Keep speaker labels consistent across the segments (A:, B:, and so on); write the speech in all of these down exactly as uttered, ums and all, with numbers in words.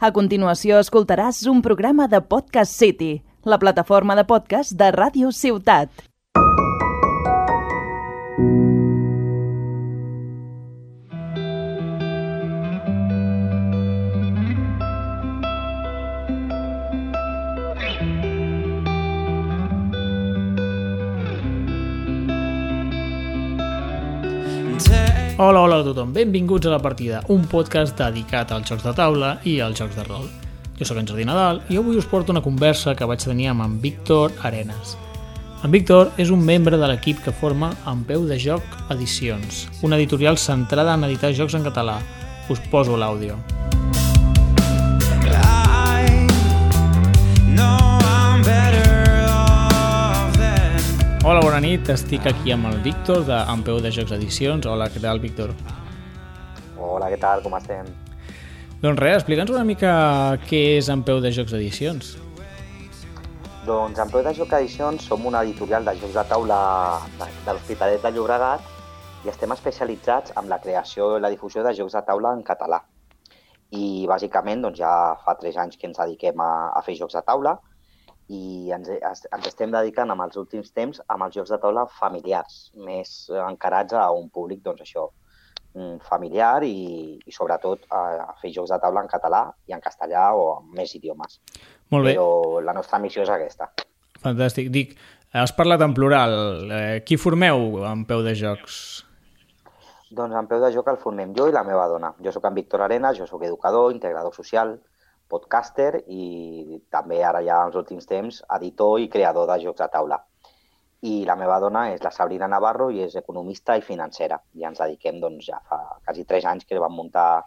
A: A continuació escoltaràs un programa de Podcast City, la plataforma de podcast de Ràdio Ciutat.
B: Hola, hola a tothom, benvinguts a La Partida, un podcast dedicat als jocs de taula i als jocs de rol. Jo sóc en Jordi Nadal i avui us porto una conversa que vaig tenir amb en Víctor Arenas. En Víctor és un membre de l'equip que forma En Peu de Joc Edicions, una editorial centrada en editar jocs en català. Us poso l'àudio. Hola, bona nit, estic aquí amb el Víctor de En Peu de Jocs Edicions. Hola, què tal, Víctor?
C: Hola, què tal, com estem?
B: Doncs res, explica'ns una mica què és En Peu de Jocs Edicions.
C: Doncs En Peu de Jocs Edicions som una editorial de jocs de taula de, de l'Hospitalet de Llobregat i estem especialitzats en la creació i la difusió de jocs de taula en català. I bàsicament doncs, ja fa tres anys que ens dediquem a, a fer jocs de taula i ens, ens estem dedicant amb els últims temps amb els jocs de taula familiars, més encarats a un públic doncs, això, familiar i, i sobretot a fer jocs de taula en català i en castellà o en més idiomes.
B: Molt bé.
C: Però la nostra missió és aquesta.
B: Fantàstic. Dic, has parlat en plural. Eh, qui formeu En Peu de Jocs?
C: Doncs En Peu de Joc el formem jo i la meva dona. Jo sóc en Víctor Arenas, jo sóc educador, integrador social, podcaster i també ara ja als últims temps editor i creador de jocs de taula. I la meva dona és la Sabrina Navarro i és economista i financera. I ens dediquem doncs, ja fa quasi tres anys que vam muntar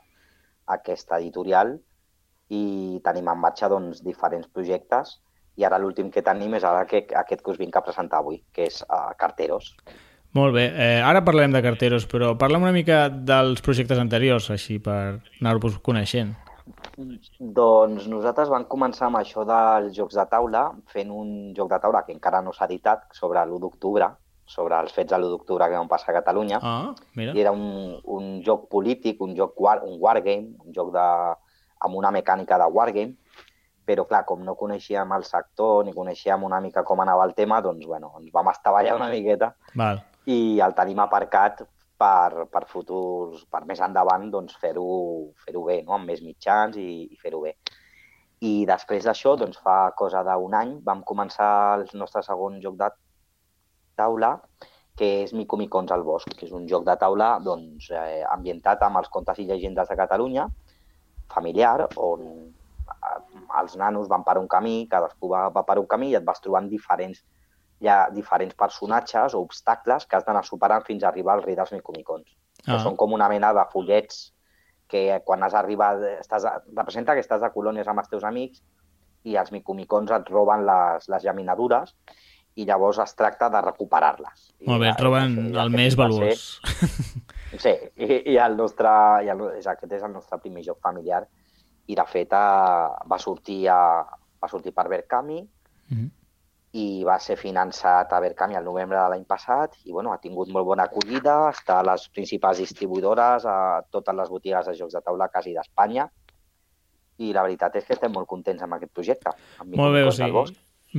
C: aquesta editorial i tenim en marxa doncs, diferents projectes i ara l'últim que tenim és ara que, aquest que us vinc a presentar avui, que és uh, Carteros.
B: Molt bé, eh, ara parlarem de Carteros, però parla'm una mica dels projectes anteriors, així per anar-vos coneixent.
C: Doncs nosaltres vam començar amb això dels jocs de taula, fent un joc de taula que encara no s'ha editat sobre l'u d'octubre, sobre els fets de l'u d'octubre que van passar a Catalunya.
B: Ah, mira.
C: I era un, un joc polític, un joc war, un wargame, un joc de, amb una mecànica de wargame, però clar, com no coneixíem el sector ni coneixíem una mica com anava el tema, doncs bueno, ens vam estavellar una miqueta.
B: Val.
C: I el tenim aparcat per, per futurs, per més endavant, doncs fer-ho fer-ho bé, no? Amb més mitjans i, i fer-ho bé. I després d'això, doncs fa cosa d'un any, vam començar el nostre segon joc de taula, que és Micomicons al bosc, que és un joc de taula doncs, eh, ambientat amb els contes i llegendes de Catalunya, familiar, on els nanos van per un camí, cadascú va, va per un camí i et vas trobant diferents hi ha diferents personatges o obstacles que has d'anar superant fins a arribar al rei dels micomicons. Ah. Que són com una mena de fullets que quan has arribat, estàs, representa que estàs de colònies amb els teus amics i els micomicons et roben les, les llaminadures i llavors es tracta de recuperar-les.
B: Molt bé, et roben el, el més valuós.
C: Sí, i, i, el nostre, i el, aquest és el nostre primer joc familiar i de fet va sortir, a, va sortir per Berkami, mm-hmm. i va ser finançat a Berkami el novembre de l'any passat i bueno, ha tingut molt bona acollida, està a les principals distribuïdores, a totes les botigues de jocs de taula quasi d'Espanya i la veritat és que estem molt contents amb aquest projecte. Amb
B: molt bé, o sigui,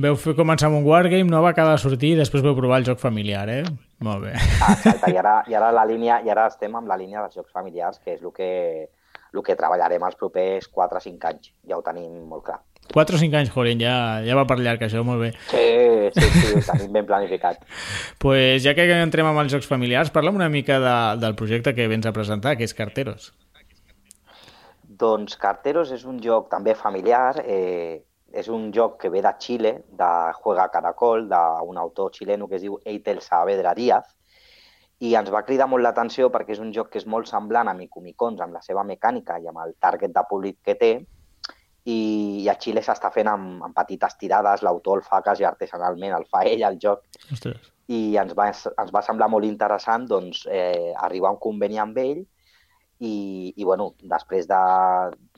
B: veu fer començar amb un wargame, no va acabar de sortir i després veu provar el joc familiar, eh? Molt bé.
C: Ah, exacte, i ara, i ara, la línia, i ara estem amb la línia dels jocs familiars, que és el que, el que treballarem els propers quatre o cinc anys, ja ho tenim molt clar.
B: quatre o cinc anys, joder, ja, ja va per llarg això, molt bé.
C: Sí, sí, sí, ho tenim ben planificat.
B: Pues ja que entrem amb els jocs familiars, parla'm una mica de, del projecte que vens a presentar, que és Carteros.
C: Doncs Carteros és un joc també familiar, eh, és un joc que ve de Xile, de Juega Caracol, d'un autor xileno que es diu Eitel Saavedra Díaz, i ens va cridar molt l'atenció perquè és un joc que és molt semblant a Micomicons, amb la seva mecànica i amb el target de públic que té, i a Xile s'està fent amb, amb petites tirades, l'autor el fa quasi artesanalment, el fa ell, el joc.
B: Ostres.
C: I ens va, ens va semblar molt interessant doncs, eh, arribar a un conveni amb ell i, i bueno, després de,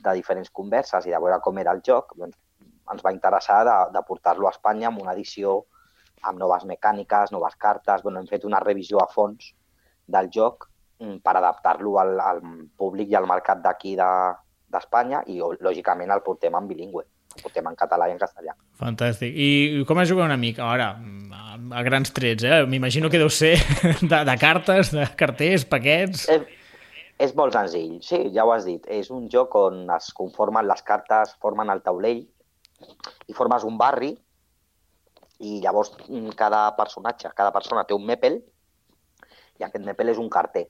C: de diferents converses i de veure com era el joc, doncs, ens va interessar de, de portar-lo a Espanya amb una edició amb noves mecàniques, noves cartes. Bueno, hem fet una revisió a fons del joc per adaptar-lo al, al públic i al mercat d'aquí de, d'Espanya i, lògicament, el portem en bilingüe. El portem en català i en castellà.
B: Fantàstic. I com es juga una mica? Ara, a grans trets, eh? M'imagino que deu ser de, de cartes, de carters, paquets...
C: És, és molt senzill, sí, ja ho has dit. És un joc on es conformen les cartes, formen el taulell i formes un barri i llavors cada personatge, cada persona té un mèpel i aquest mèpel és un carter.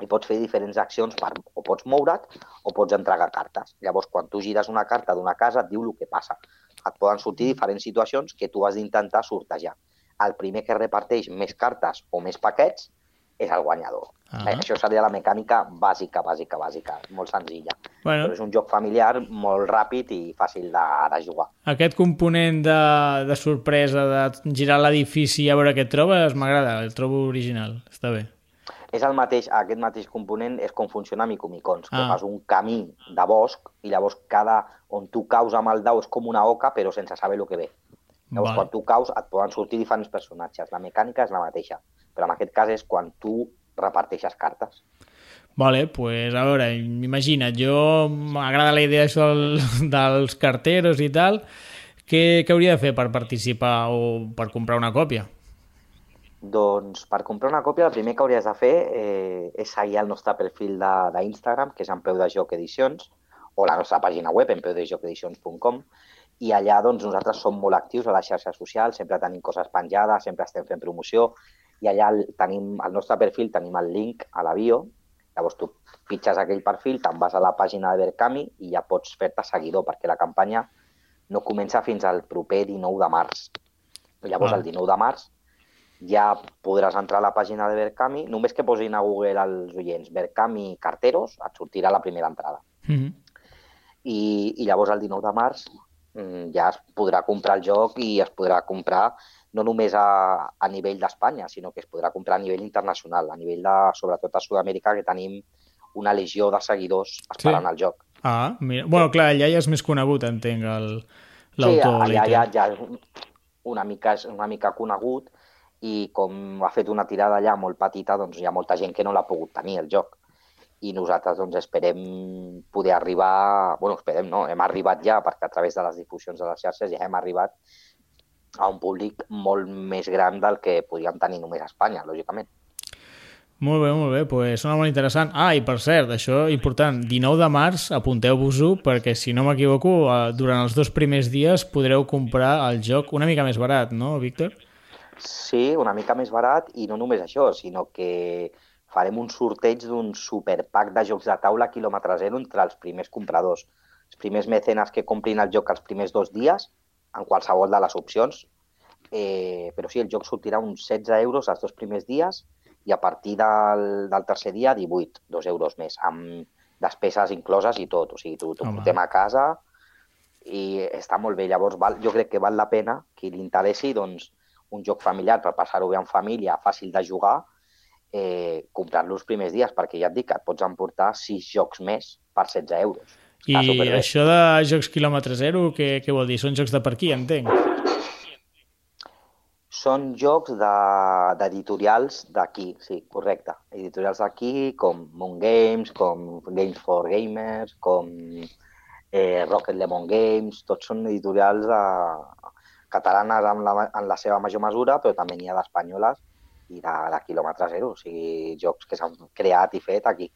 C: I pots fer diferents accions, per, o pots moure't o pots entregar cartes. Llavors, quan tu gires una carta d'una casa, et diu el que passa. Et poden sortir diferents situacions que tu has d'intentar sortejar. El primer que reparteix més cartes o més paquets és el guanyador. Ah. Això seria la mecànica bàsica, bàsica, bàsica, molt senzilla. Bueno. Però és un joc familiar molt ràpid i fàcil de, de jugar.
B: Aquest component de, de sorpresa, de girar l'edifici i a veure què et trobes, m'agrada, el trobo original, està bé.
C: És el mateix, aquest mateix component és com funciona Micomicons, que ah. fas un camí de bosc i llavors cada on tu caus amb el dau és com una oca però sense saber el que ve. Llavors vale. Quan tu caus et poden sortir diferents personatges, la mecànica és la mateixa, però en aquest cas és quan tu reparteixes cartes.
B: Vale, pues a veure, imagina't, jo m'agrada la idea això del, dels carteros i tal, què, què hauria de fer per participar o per comprar una còpia?
C: Doncs per comprar una còpia el primer que hauries de fer eh, és seguir el nostre perfil d'Instagram, que és en Peu de Joc Edicions, o la nostra pàgina web, en peu de joc edicions punt com, i allà doncs, nosaltres som molt actius a les xarxes socials, sempre tenim coses penjades, sempre estem fent promoció, i allà tenim al nostre perfil tenim el link a la bio, llavors tu pitges aquell perfil, te'n vas a la pàgina de Berkami i ja pots fer-te seguidor, perquè la campanya no comença fins al proper dinou de març. Llavors, ah. el dinou de març, ja podràs entrar a la pàgina de Berkami, només que posin a Google als oients Berkami Carteros, et sortirà la primera entrada. Mm-hmm. I, I llavors el dinou de març ja es podrà comprar el joc i es podrà comprar no només a, a nivell d'Espanya, sinó que es podrà comprar a nivell internacional, a nivell de, sobretot a Sud-amèrica, que tenim una legió de seguidors esperant sí. el joc.
B: Ah, mira. Bueno, clar, allà ja és més conegut, entenc, l'autor.
C: Sí, allà ja, ja és una mica, és una mica conegut, i com ha fet una tirada allà molt petita, doncs hi ha molta gent que no l'ha pogut tenir, el joc. I nosaltres doncs, esperem poder arribar... Bueno, esperem, no? Hem arribat ja, perquè a través de les difusions de les xarxes ja hem arribat a un públic molt més gran del que podríem tenir només a Espanya, lògicament.
B: Molt bé, molt bé, pues sona molt interessant. Ah, i per cert, això important, dinou de març, apunteu-vos-ho, perquè si no m'equivoco, durant els dos primers dies podreu comprar el joc una mica més barat, no, Víctor?
C: Sí, una mica més barat, i no només això, sinó que farem un sorteig d'un superpack de jocs de taula quilòmetre zero entre els primers compradors. Els primers mecenes que comprin el joc els primers dos dies, en qualsevol de les opcions, eh, però sí, el joc sortirà uns setze euros els dos primers dies i a partir del, del tercer dia divuit, dos euros més, amb despeses incloses i tot. O sigui, t'ho portem a casa i està molt bé. Llavors, val, jo crec que val la pena que li interessi, doncs, un joc familiar per passar-ho bé en família, fàcil de jugar, eh, comprar-lo els primers dies, perquè ja et dic que et pots emportar sis jocs més per setze euros.
B: I això de jocs quilòmetre zero, què, què vol dir? Són jocs de per aquí, entenc?
C: Són jocs d'editorials de, d'aquí, sí, correcte. Editorials d'aquí, com Moon Games, com Games for Gamers, com eh, Rocket Lemon Games, tots són editorials de... catalanes en la, en la seva major mesura, però també n'hi ha d'espanyoles i de, de quilòmetre zero, o sigui, jocs que s'han creat i fet aquí.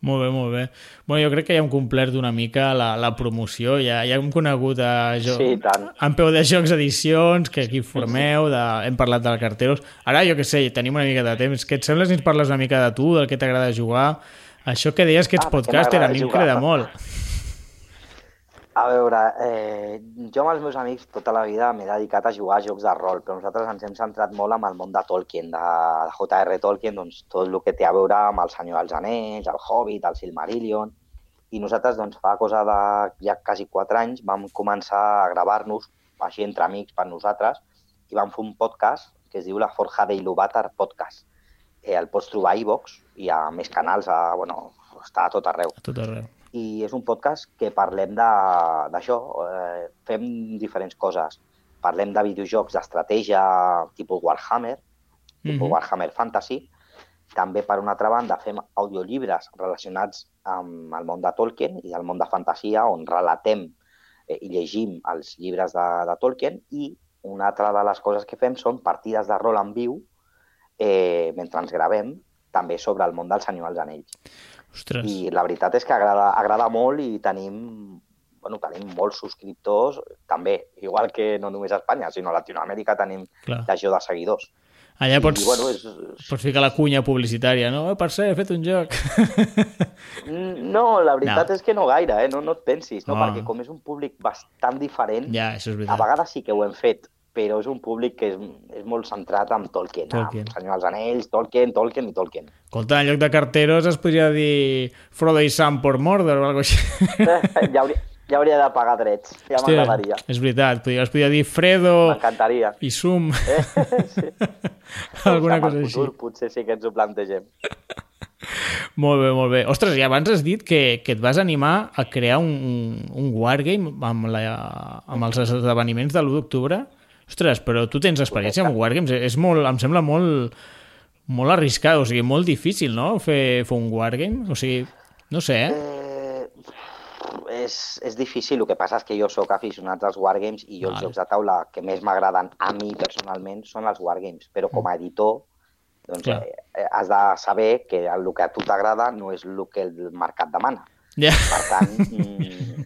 B: Molt bé, molt bé. Bueno, jo crec que ja hem complert una mica la, la promoció, ja, ja hem conegut a jo...
C: sí, tant.
B: En Peu de Jocs Edicions, que aquí formeu, de... hem parlat de carteros. Ara, jo què sé, tenim una mica de temps. Què et sembla si ens parles una mica de tu, del que t'agrada jugar? Això que deies que ets ah, podcaster, a mi em crida molt.
C: A veure, eh, jo amb els meus amics tota la vida m'he dedicat a jugar a jocs de rol, però nosaltres ens hem centrat molt amb el món de Tolkien, de, de J R Tolkien, doncs tot el que té a veure amb el Senyor dels Anells, el Hobbit, el Silmarillion, i nosaltres doncs fa cosa de ja quasi quatre anys vam començar a gravar-nos, així entre amics per nosaltres, i vam fer un podcast que es diu La Forja d'Il·luvatar Podcast. Eh, el pots trobar a iVox i a més canals, a, bueno, està a tot arreu.
B: A tot arreu.
C: I és un podcast que parlem d'això, eh, fem diferents coses. Parlem de videojocs d'estratègia tipus Warhammer, tipus mm-hmm. Warhammer Fantasy, també, per una altra banda, fem audiollibres relacionats amb el món de Tolkien i el món de fantasia, on relatem eh, i llegim els llibres de, de Tolkien, i una altra de les coses que fem són partides de rol en viu eh, mentre ens gravem, també sobre el món del Senyor dels Anells.
B: Ostres.
C: I la veritat és que agrada, agrada molt i tenim, bueno, tenim molts subscriptors, també, igual que no només a Espanya, sinó a Latinoamèrica tenim
B: Clar.
C: legió de seguidors.
B: Allà pots,
C: I, bueno, és...
B: pots ficar la cunya publicitària, no? Eh, per ser, he fet un joc.
C: No, la veritat
B: No.
C: és que no gaire, eh? no, no et pensis, no?
B: Oh.
C: Perquè com és un públic bastant diferent,
B: Ja, això és
C: a
B: veritat.
C: vegades sí que ho hem fet, però és un públic que és, és molt centrat en Tolkien,
B: Tolkien.
C: en Senyor dels Anells, Tolkien, Tolkien i Tolkien.
B: Escolta, en lloc de carteros es podria dir Frodo i Sam por Mordor o alguna cosa així.
C: ja, hauria, ja hauria de pagar drets, ja
B: Hòstia,
C: m'agradaria.
B: és veritat, podria, es podria dir Fredo
C: M'encantaria.
B: i Sum.
C: Eh? Sí.
B: Alguna
C: Amb el
B: cosa així.
C: futur potser sí que ens ho plantegem.
B: Molt bé, molt bé. Ostres, i abans has dit que, que et vas animar a crear un, un wargame amb, la, amb els esdeveniments de l'u d'octubre. Ostres, però tu tens experiència amb wargames. És molt, em sembla molt, molt arriscat, o sigui, molt difícil, no?, fer, fer un wargame. O sigui, no sé, eh?
C: Eh, és, és difícil, el que passa és que jo sóc aficionat als wargames i jo
B: Vale.
C: els jocs de taula que més m'agraden a mi personalment són els wargames, però com a editor doncs,
B: Clar.
C: eh, has de saber que el que a tu t'agrada no és el que el mercat demana.
B: Ja.
C: Per tant, mm,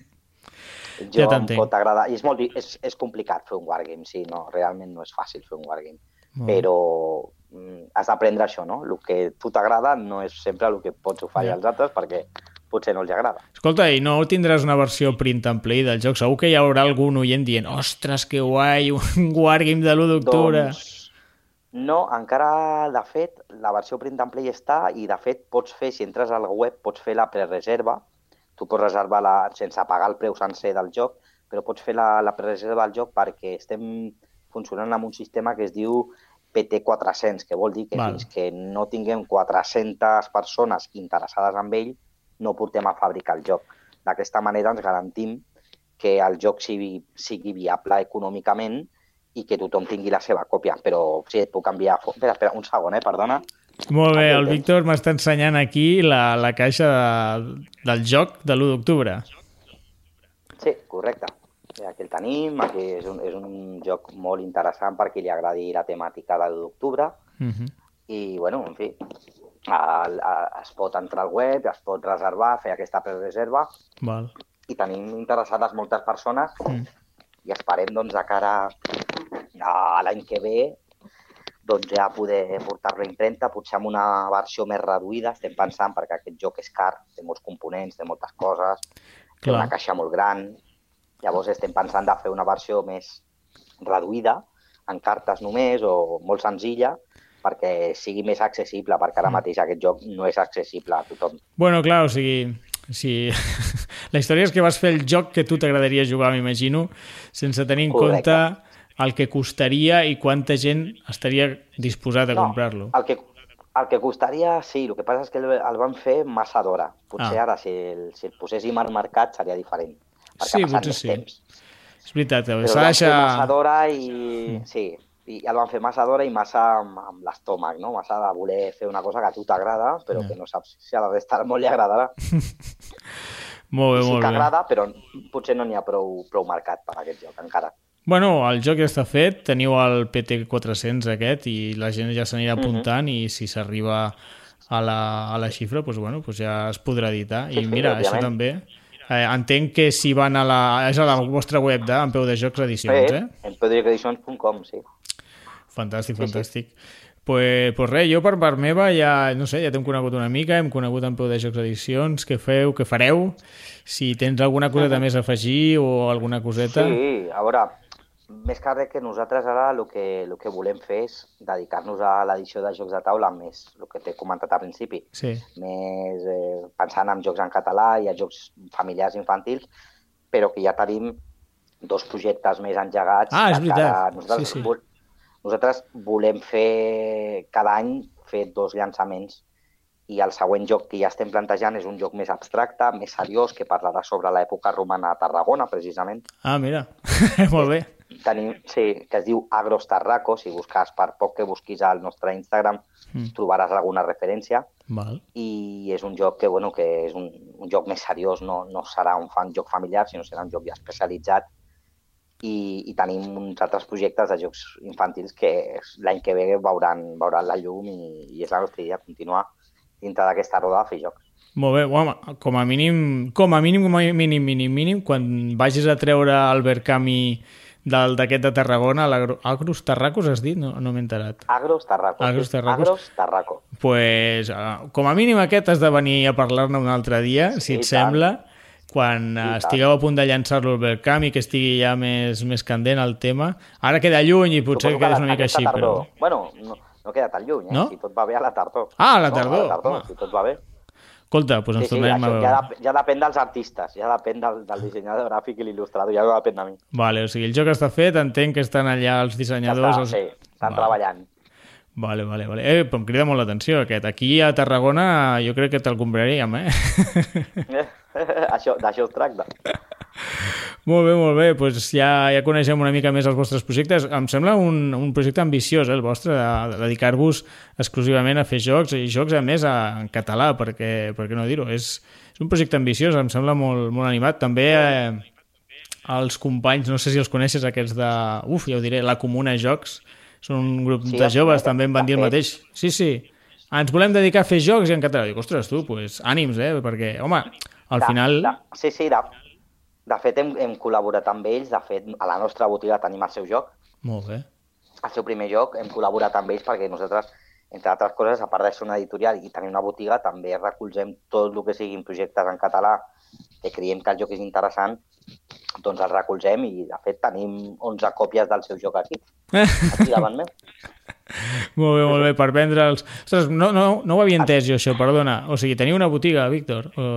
C: jo
B: Ja
C: em
B: t'entenc.
C: pot agradar. I és, molt, di- és, és complicat fer un wargame, sí, no, realment no és fàcil fer un wargame.
B: Molt bé.
C: Però mm, has d'aprendre això, no? El que a tu t'agrada no és sempre el que pots oferir
B: Ja.
C: als altres, perquè potser no els agrada.
B: Escolta, i no tindràs una versió print and play del joc? Segur que hi haurà algun oient dient ostres, que guai, un wargame de l'u d'octubre.
C: Doncs no, encara, de fet, la versió print and play està i, de fet, pots fer, si entres al web, pots fer la prereserva. Tu pots reservar la, sense pagar el preu sencer del joc, però pots fer la, la prereserva del joc perquè estem funcionant amb un sistema que es diu P T quatre-cents, que vol dir que
B: Val.
C: fins que no tinguem quatre-centes persones interessades en ell, no portem a fabricar el joc. D'aquesta manera ens garantim que el joc sigui, sigui viable econòmicament i que tothom tingui la seva còpia. Però sí, et puc enviar... fo- Espera, espera, un segon, eh? Perdona.
B: Molt bé,
C: Aquí el
B: el
C: tens.
B: Víctor m'està ensenyant aquí la, la caixa de, del joc de l'u d'octubre.
C: Sí, correcte. Sí, aquí el tenim. Aquí és un, és un joc molt interessant per qui li agradi la temàtica de l'u d'octubre.
B: Uh -huh.
C: I, bueno, en fi, el, el, es pot entrar al web, es pot reservar, fer aquesta prereserva
B: Val.
C: i tenim interessades moltes persones
B: Mm.
C: i esperem, doncs, de cara a l'any que ve doncs ja poder portar-lo a impremta, potser amb una versió més reduïda, estem pensant, perquè aquest joc és car, té molts components, té moltes coses, té
B: Clar.
C: una caixa molt gran, llavors estem pensant de fer una versió més reduïda, en cartes només, o molt senzilla, perquè sigui més accessible, perquè ara mateix aquest joc no és accessible a tothom.
B: Bueno, clar, o sigui... Sí. La història és que vas fer el joc que tu t'agradaria jugar, m'imagino, sense tenir en
C: Correcte.
B: compte el que costaria i quanta gent estaria disposat a comprar-lo.
C: el que, el que costaria, sí, el que passa és que el, el van fer massa d'hora. Potser
B: Ah.
C: ara, si el, si el poséssim al mercat, seria diferent, perquè
B: Sí,
C: ha passat
B: potser
C: més
B: sí.
C: temps.
B: És veritat,
C: Però
B: s'ha
C: el
B: de
C: van fer massa
B: deixar...
C: d'hora i... Sí, i el van fer massa d'hora i massa amb, amb l'estómac, no? Massa de voler fer una cosa que a tu t'agrada, però
B: Ja.
C: que no saps si a la resta del món li agradarà.
B: Molt bé,
C: I sí
B: molt
C: que
B: bé.
C: agrada, però potser no n'hi ha prou, prou mercat per a aquest joc, encara.
B: Bueno, el joc ja està fet, teniu el P T quatre-cents aquest i la gent ja s'anirà apuntant i si s'arriba a la, a la xifra, doncs, bueno, doncs ja es podrà editar.
C: Sí,
B: I
C: sí,
B: mira, això
C: òbviament.
B: també... Eh, entenc que si van a la... És a la vostra web de En Peu de Jocs Edicions, eh?
C: En pedricoedicions punt com, sí.
B: Fantàstic,
C: Sí,
B: fantàstic. Pues, pues res, jo per part meva ja, no sé, ja t'hem conegut una mica, hem conegut En Peu de Jocs Edicions, què feu, què fareu, si tens alguna coseta més a afegir o alguna coseta...
C: Sí, a veure, més que res que nosaltres ara el que, el que volem fer és dedicar-nos a l'edició de jocs de taula més, el que t'he comentat al principi,
B: Sí.
C: més eh, pensant en jocs en català i a jocs familiars infantils, però que ja tenim dos projectes més engegats.
B: Ah, és
C: que
B: veritat.
C: encara Nosaltres,
B: Sí, sí.
C: vol- nosaltres volem fer cada any fer dos llançaments i el següent joc que ja estem plantejant és un joc més abstracte, més seriós, que parlarà sobre l'època romana a Tarragona, precisament.
B: Ah, mira, molt bé.
C: tenim, sí, que es diu Agros Tarraco. Si busques, per poc que busquis al nostre Instagram, mm. trobaràs alguna referència.
B: Val.
C: I és un joc que, bueno, que és un, un joc més seriós, no, no serà un fan joc familiar, sinó serà un joc ja especialitzat. I, i tenim uns altres projectes de jocs infantils que l'any que ve veuran, veuran la llum i, i és la nostra idea, continuar dintre d'aquesta roda a fer jocs.
B: Molt bé, home, com a mínim, com a mínim, com a mínim, mínim, mínim, quan vagis a treure el Verkami d'aquest de Tarragona, l'Agros Tarracos has dit? No, no m'he enterat.
C: Agros Tarracos.
B: Agros Tarracos.
C: Agros Tarraco.
B: Pues, uh, com a mínim aquest has de venir a parlar-ne un altre dia, sí, si et sembla, quan uh, estigueu a punt de llançar-lo al Verkami, que estigui ja més, més candent el tema. Ara queda lluny i potser
C: Suposo
B: que és
C: la,
B: una mica així,
C: tardor.
B: però...
C: Bueno, no, no queda tan lluny, eh?
B: No?
C: Si tot va bé a la tardor.
B: Ah, a la
C: no,
B: tardor.
C: A la tardor, si tot va bé.
B: Escolta, doncs ens
C: sí, sí,
B: tornem
C: això
B: a veure.
C: Ja, de, ja depèn dels artistes, ja depèn del, del dissenyador gràfic i l'il·lustrador, ja no depèn de mi.
B: Vale, o sigui, el joc està fet, entenc que estan allà els dissenyadors...
C: Ja està,
B: els...
C: sí, estan
B: vale.
C: treballant.
B: Vale, vale, vale. Eh, però em crida molt l'atenció aquest. Aquí a Tarragona jo crec que te'l compraríem, eh?
C: això, d'això es tracta.
B: Molt bé, molt bé. Pues ja, ja coneixem una mica més els vostres projectes. Em sembla un, un projecte ambiciós, eh, el vostre, de, de dedicar-vos exclusivament a fer jocs, i jocs, a més, a, en català, perquè, per què no dir-ho? És, és un projecte ambiciós, em sembla molt, molt animat. També eh, els companys, no sé si els coneixes, aquests de... Uf, ja ho diré, la Comuna Jocs, són un grup sí, de joves, també em van dir el mateix. Sí, sí, ens volem dedicar a fer jocs i en català. Dic, ostres, tu, pues, ànims, eh? Perquè, home, al
C: de,
B: final...
C: De, sí, sí, de, de fet hem, hem col·laborat amb ells. De fet, a la nostra botiga tenim el seu joc.
B: Molt bé.
C: El seu primer joc, hem col·laborat amb ells perquè nosaltres, entre altres coses, a part de ser una editorial i tenir una botiga, també recolzem tot el que siguin projectes en català que creiem que el joc és interessant, doncs el recolzem i, de fet, tenim onze còpies del seu joc aquí. Aquí davant meu.
B: Molt bé, molt bé, per vendre'ls... Ostres, no, no, no ho havia entès jo, això, perdona. O sigui, teniu una botiga, Víctor? O...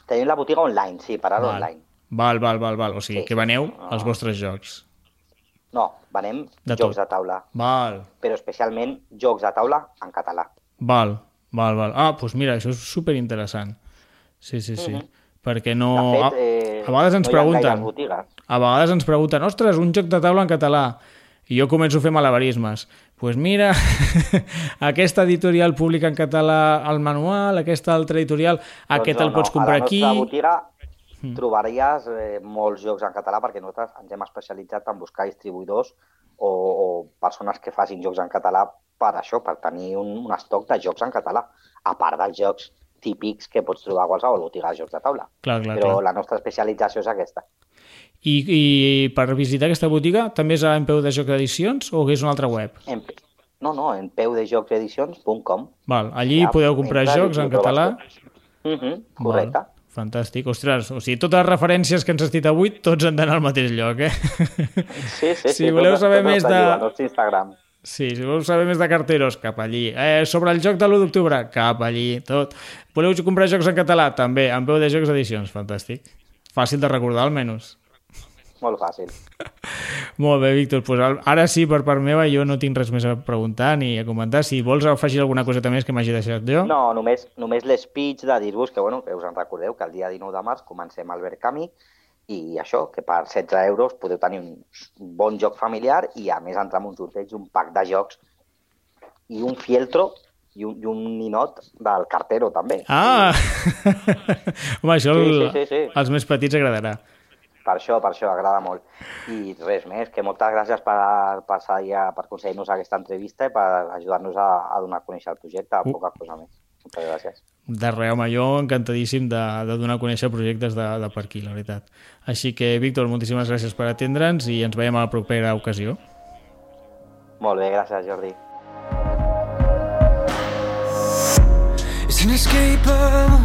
C: Tenim la botiga online, sí, per ara online.
B: Val, val, val, val. O sigui,
C: sí,
B: que veneu
C: no.
B: als vostres jocs.
C: No, venem
B: de
C: jocs
B: tot.
C: de taula.
B: Val.
C: Però especialment jocs de taula en català.
B: Val, val, val. Ah, doncs mira, això és superinteressant. Sí, sí, sí. Mm-hmm. Perquè no...
C: De fet, eh,
B: a, a vegades ens
C: no
B: pregunten... A vegades ens pregunten, ostres, un joc de taula en català. I jo començo a fer malabarismes. Doncs pues mira, aquesta editorial publica en català el manual, aquesta altra editorial, doncs aquest no, el pots comprar aquí...
C: A la nostra botiga mm. trobaries eh, molts jocs en català perquè nosaltres ens hem especialitzat en buscar distribuïdors o, o persones que facin jocs en català per això, per tenir un, un estoc de jocs en català, a part dels jocs típics que pots trobar a qualsevol botiga de jocs de taula.
B: Clar, clar,
C: Però
B: clar.
C: La nostra especialització és aquesta.
B: I, I per visitar aquesta botiga també és a En Peu de Jocs Edicions o és una altra web?
C: En, no, no, en peu de jocs edicions punt com.
B: Val, allí ja, podeu comprar jocs en català?
C: Uh-huh, correcte.
B: Val, fantàstic. Ostres, o sigui, totes les referències que ens has dit avui, tots han d'anar al mateix lloc, eh?
C: Sí, sí, sí.
B: Si voleu tot, saber tot més de...
C: Instagram.
B: Sí, si voleu saber més de carteros, cap allí. Eh, sobre el joc de l'u d'octubre, cap allí, tot. Voleu comprar jocs en català? També, En Peu de Jocs Edicions, fantàstic. Fàcil de recordar, almenys.
C: Molt fàcil.
B: Molt bé, Víctor. Pues ara sí, per part meva, jo no tinc res més a preguntar ni a comentar. Si vols afegir alguna coseta més que m'hagi deixat jo.
C: No, només, només l'espeech de dir-vos que, bueno, que us en recordeu que el dia dinou de març comencem al Verkami i això, que per setze euros podeu tenir un bon joc familiar i a més entrar en un sorteig, un pack de jocs i un fieltro i un, i un ninot del cartero també.
B: Ah! Home, això
C: sí,
B: el,
C: sí, sí, sí.
B: als més petits agradarà.
C: Per això, per això, agrada molt. I res més, que moltes gràcies per, per, per aconseguir-nos aquesta entrevista i per ajudar-nos a, a donar a conèixer el projecte, uh. poca cosa més. Moltes gràcies.
B: De res, home, jo encantadíssim de, de donar a conèixer projectes de, de per aquí, la veritat. Així que, Víctor, moltíssimes gràcies per atendre'ns i ens veiem a la propera ocasió.
C: Molt bé, gràcies, Jordi.
D: It's inescapable,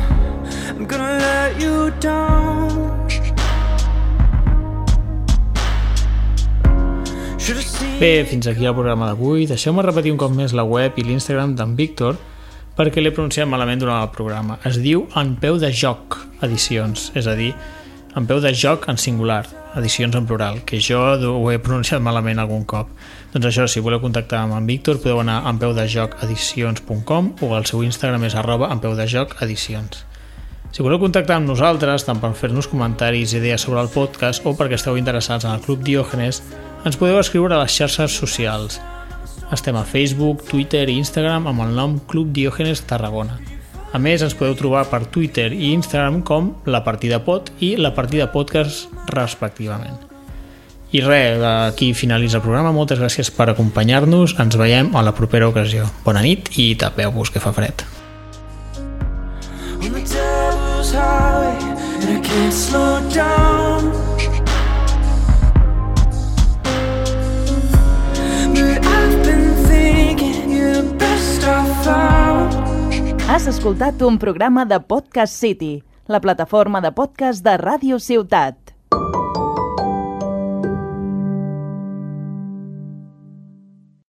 D: I'm gonna let you down.
B: Bé, fins aquí el programa d'avui. Deixeu-me repetir un cop més la web i l'Instagram d'en Víctor perquè l'he pronunciat malament durant el programa. Es diu En Peu de Joc Edicions, és a dir, En Peu de Joc en singular, edicions en plural, que jo ho he pronunciat malament algun cop. Doncs això, si voleu contactar amb en Víctor, podeu anar a en peu de joc edicions punt com o el seu Instagram és arroba en peu de joc edicions. Si voleu contactar amb nosaltres, tant per fer-nos comentaris i idees sobre el podcast o perquè esteu interessats en el Club Diògenes, Ens podeu escriure a les xarxes socials. Estem a Facebook, Twitter i Instagram amb el nom Club Diògenes Tarragona. A més, ens podeu trobar per Twitter i Instagram com La Partida Pod i La Partida Podcast, respectivament. I res, aquí finalitza el programa. Moltes gràcies per acompanyar-nos. Ens veiem a la propera ocasió. Bona nit i tapeu-vos, que fa fred.
D: On the devil's highway, and I can't slow down. But I've been thinking you're the best I've found.
A: Has escoltat un programa de Podcast City, la plataforma de podcast de Ràdio Ciutat.